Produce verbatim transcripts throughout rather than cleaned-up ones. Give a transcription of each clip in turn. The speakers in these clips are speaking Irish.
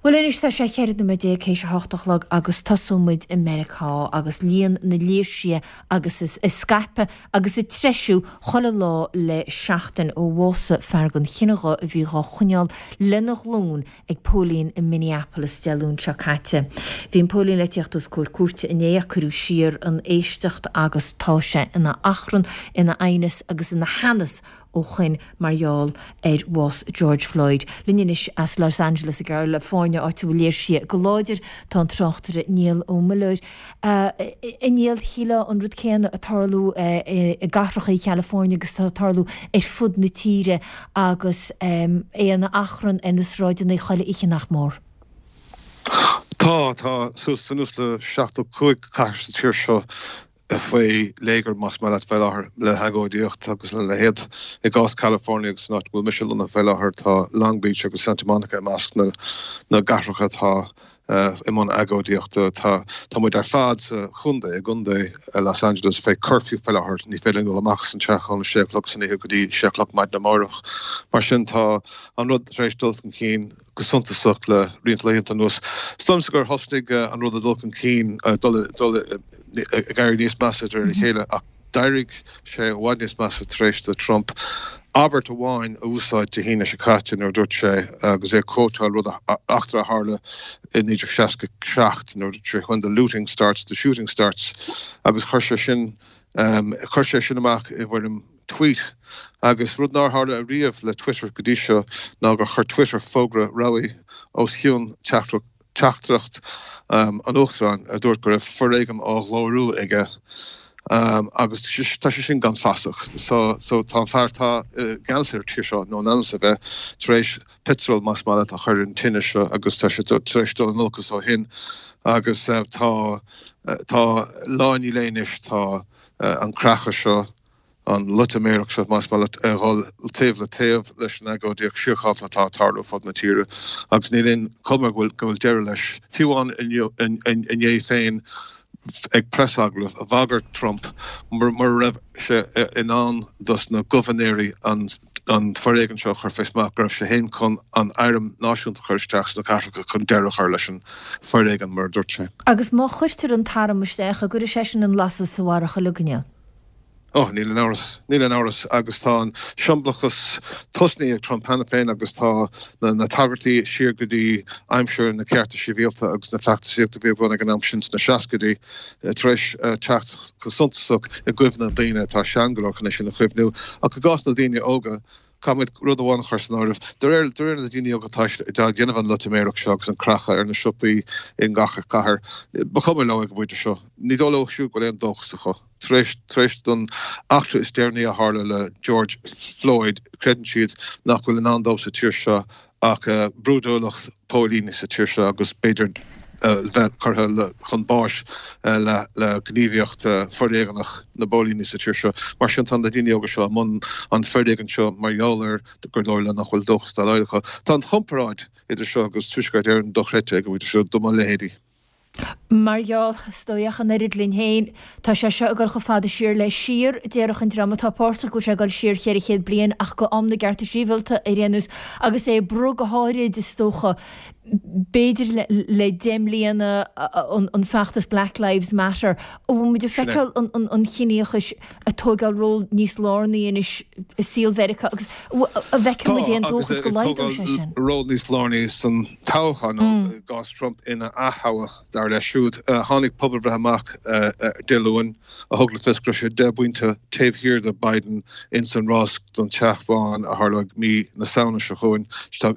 Bhuel anois tá sé cheithre nóiméad déag théis a hocht a chlog agus tosóidh muid i Meiriceá agus líon na léirsithe agus is ag scaipeadh agus ag treisiú chuile lá le seachtain ó bhásaigh fear den chine dhubh a bhí dhá choinneáil lena ghlúin ag póilín i Minneapolis Dé Luain seo caite. Bhí an póilín le tíocht os comhair cúirte inné ach cuireadh siar an éisteacht agus tá sé ina achrann, ina aighneas agus ina theannas ó shoin mar gheall ar bhás George Floyd. Linn anois as Los Angeles i gCalifornia áit a bhfuil léirsithe go láidir tá an tráchtaire Niall Ó Muilleoir. A Niall shílfeá an rud céanna ag tarlú i gcathracha California agus tá ag tarlú ar fud na tíre agus é ina achrann ar na sráideanna chuile oíche nach mór. Tá tá suas suas le seachtó cúig cathair sa tír seo faoi léigear más maith leat fé láthair le hagóidíocht agus lena leithéid. I gcás California agus an áit go bhfuil mise lonnaithe fé láthair tá Long Beach agus Santa Monica i measc na na gcathracha atá i mbun agóidíochta. Tá tá muid ar fad sa chontae i gcontae Los Angeles fé curfew fé láthair, ní féidir linn dul amach as an teach óna sé o'clock san oíche go dtí sé o'clock maidin amárach. Mar sin tá an rud tar éis dul chun cinn go suntasach le roinnt laethanta anuas. Is dóigh liomsa gur thosnaigh an rud ag dul chun cinn dul dul ag éirí níos measa de réir a chéile ach d'éirigh sé i bhfad níos measa tar éis do Trump abairt amháin a úsáid Dé hAoine seo caite nuair a dúirt sé agus é ag quoteáil rud eachtra a tharla i naoi déag seasca seacht nuair a dúirt sé when the looting starts the shooting starts agus chuir sé sin chuir sé sin amach i bhfoirm tweet agus rud nár tharla ariamh le Twitter go dtí seo ná gur chuir Twitter fógra rabhaidh os cionn teachtaireacht an Uachtaráin a dúirt go raibh foréigean á ghlóiriú aige agus tá sé sin gan fasach. So so tá an fear atá i gceannas ar an tír seo nó in ainm is a bheith tar éis petrol más maith leat a chur ar an tine seo agus tá sé tar éis dul in olcas ó shin agus tá tá lá i ndiaidh lae anois tá an creachadh seo an loitiméireacht seo más maith leat a dhul taobh le taobh leis an agóidíocht síochánta atá ag tarlú ar fud na tíre agus níl aon chuma go bhfuil go bhfuil deireadh leis. Fiú amháin inné féin ag preasagallamh bhagair Trump mura raibh sé in ann dos na gobharnóirí an an foréigean seo a chur fé smacht go raibh sé féin chun an arm náisiúnta a chur isteach sna cathracha chun deireadh a chur leis an foréigean mar a dúirt sé. Agus má chuirtear an t-arm isteach, an gcuirfidh sé sin an lasadh sa bharrach uilig, a Niall? Oh, níl aon amhras, níl aon amhras agus tá an siombalachas tosnaithe ag Trump cheana féin agus tá na, na tagairtí siar go dtí aimsir na cearta sibhialta agus na feachtasaíochta a bhí ar bun ag an am sin sna seascaidí tar éis teacht go suntasach i gcuimhne na daoine atá sean go leor chun é sin a chuimhniú. Ach i gcás na daoine óga, caithfimid rud amháin a chur san áireamh, de réir, de réir na daoine óga atá ag déanamh an loitiméireacht seo agus an creachadh ar na siopaí i ngach cathair, ba chuma leo ag an bpointe seo. Ní dóigh leo siúd go bhfuil aon dóchas acu. Tar éis, tar éis don eachtra is deireanaí a tharla le George Floyd, creideann siad nach bhfuil i ndán dóibh sa tír seo ach brúidiúlacht póilíní sa tír seo agus b'fhéidir bheith curtha le, chun báis le, le gníomhaíocht foréigeanach na bpóilíní sa tír seo. Mar sin tá na daoine óga seo i mbun an foréigin seo mar gheall ar gur dóigh leo nach bhfuil dóchas dá laghad acu. Tá an chomparáid idir seo agus Tuaisceart Éireann dochreidte ag an bpointe seo do mo leithéidí. Mar gheall, is dóigh, ach an oiread linn féin, tá sé seo ag dul chomh fada siar le siar, déarfadh an dream atá páirteach go bhfuil sé ag dul siar cheithre chéad bliain ach go am na gcearta sibhialta ar aon nós, agus é ag brú go háirid, is dócha, b'fhéidir le deich mbliana an feachtas Black Lives Matter. An bhfuil muid ag feiceáil an chiníochais ag tógáil ról níos lárnaí anois i saol Mheiriceá agus an bhfeiceann muid aon dóchas go laghdóidh sé sin? Tá, agus ag tógáil ról níos lárnaí san toghchán, i gcás Trump ina ath-thoghadh. Dar leis siúd, tháinig pobalbhreith amach Dé Luain a thug le fios go raibh sé deich bpointe taobh thiar de Biden ins an rás don Teach Bán a tharlóidh mí na Samhna seo chugainn.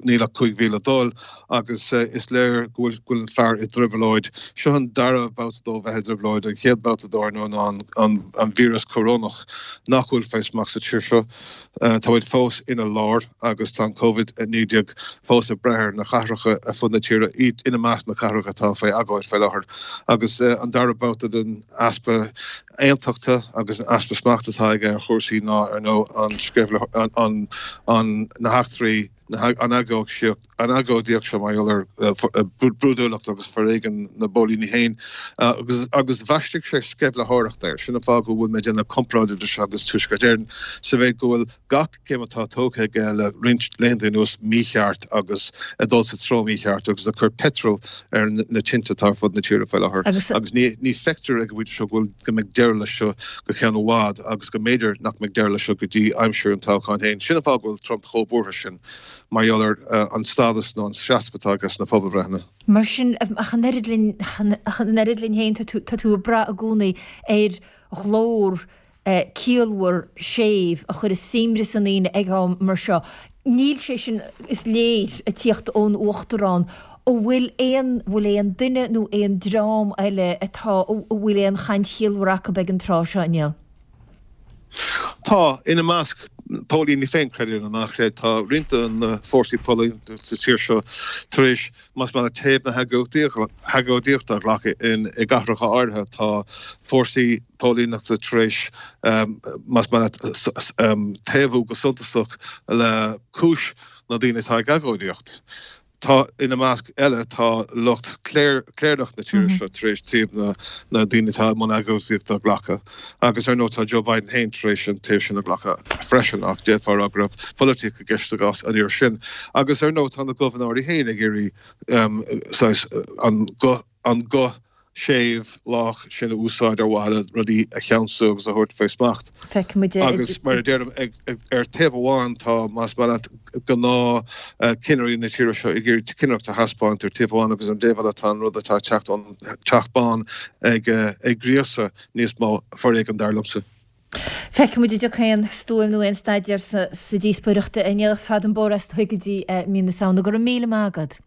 Níl ach cúig mhí le dul agus is léir go bhfuil an fear i dtrioblóid. Seo an dara babhta dó bheith i dtrioblóid. An chéad babhta dó, ar ndóigh, ná an víreas corónach nach bhfuil fé smacht sa tír seo. Tá muid fós ina lár agus tá an Covid a naoi déag fós ag breith ar na cathracha ar fud na tíre, iad ina measc na cathracha atá faoi agóid faoi láthair. Agus an dara babhta den easpa aontachta agus an easpa smachta atá aige ar chúrsaí ná, ar ndóigh, an sceimhlitheoireacht, an, na heachtraí, an agóidíocht, an agóidíocht seo mar gheall ar brúidiúlacht agus foréigean na bpóilíní féin agus agus bhaistigh sé sceimhlitheoireacht air. Sin an fáth go bhfuil mé ag déanamh comparáid idir seo agus Tuaisceart Éireann sa mhéid go bhfuil gach céim atá tógtha aige le roinnt laethanta anuas mícheart agus ag dul sa treo mícheart agus ag cur peitreal ar na tinte atá ar fud na tíre faoi láthair. Agus ní ní feictear ag an bpointe seo go bhfuil go mbeidh deireadh leis seo go ceann i bhfad agus go mb'fhéidir nach mbeidh deireadh leis seo go dtí aimsir an toghcháin féin. Sin an fáth go bhfuil Trump chomh buartha sin. mar gheall ar an stádas nó an seasamh atá aige sna pobalbhreitheanna. Mar sin, ach an oiread linn, ach an oiread linn féin, tá tú, tá tú ag brath i gcónaí ar ghlór ciallmhar séimh a chuirfeas suaimhneas i ndaoine ag am mar seo. Níl sé sin, is léir, ag tíocht ón Uachtarán. An bhfuil aon, bhfuil aon duine nó aon dream eile atá, a bhfuil aon chaint chiallmhar acu ag an tráth seo, a Néill? Tá, ina measc, póilíní féin, creid é nó ná creid, tá roinnt de na fórsaí póilíneachta sa tír seo tar éis, más maith leat, taobh na hagóidíochta a ghlacadh i gcathracha áirithe. Tá fórsaí póilíneachta tar éis, más maith leat, taobhú go suntasach le cúis na ndaoine atá ag agóidíocht. Tá, ina measc eile, tá lucht cléireach na tíre seo tar éis taobh na ndaoine atá i mbun agóidíochta a ghlacadh. Agus ar ndóigh tá Joe Biden féin tar éis an taobh sin a ghlacadh freisin, ach d'fhéadfá a rá go raibh polaitíocht i gceist sa gcás an iarraidh sin. Agus ar ndóigh tá na gobharnóirí féin ag iarraidh saghas an guth, an guth séimh, lách sin a úsáid ar mhaithe le rudaí a cheansú agus a thabhairt faoi smacht. Feicfimid é. Agus mar a deirim, ar taobh amháin tá, más maith leat, gnáth-chinnirí na tíre seo ag iarraidh cinnireacht a thaispeáint ar taobh amháin agus ar an dtaobh eile tá an rud atá ag teacht ón Teach Bán ag gríosadh níos mó foréigin, dar liomsa. Feicfimid an dtiocfaidh aon stuaim nó aon staidéar sa díospóireacht a Néill, ach fada an bóthar is dóigh go dtí mí na Samhna. Go raibh míle maith agat.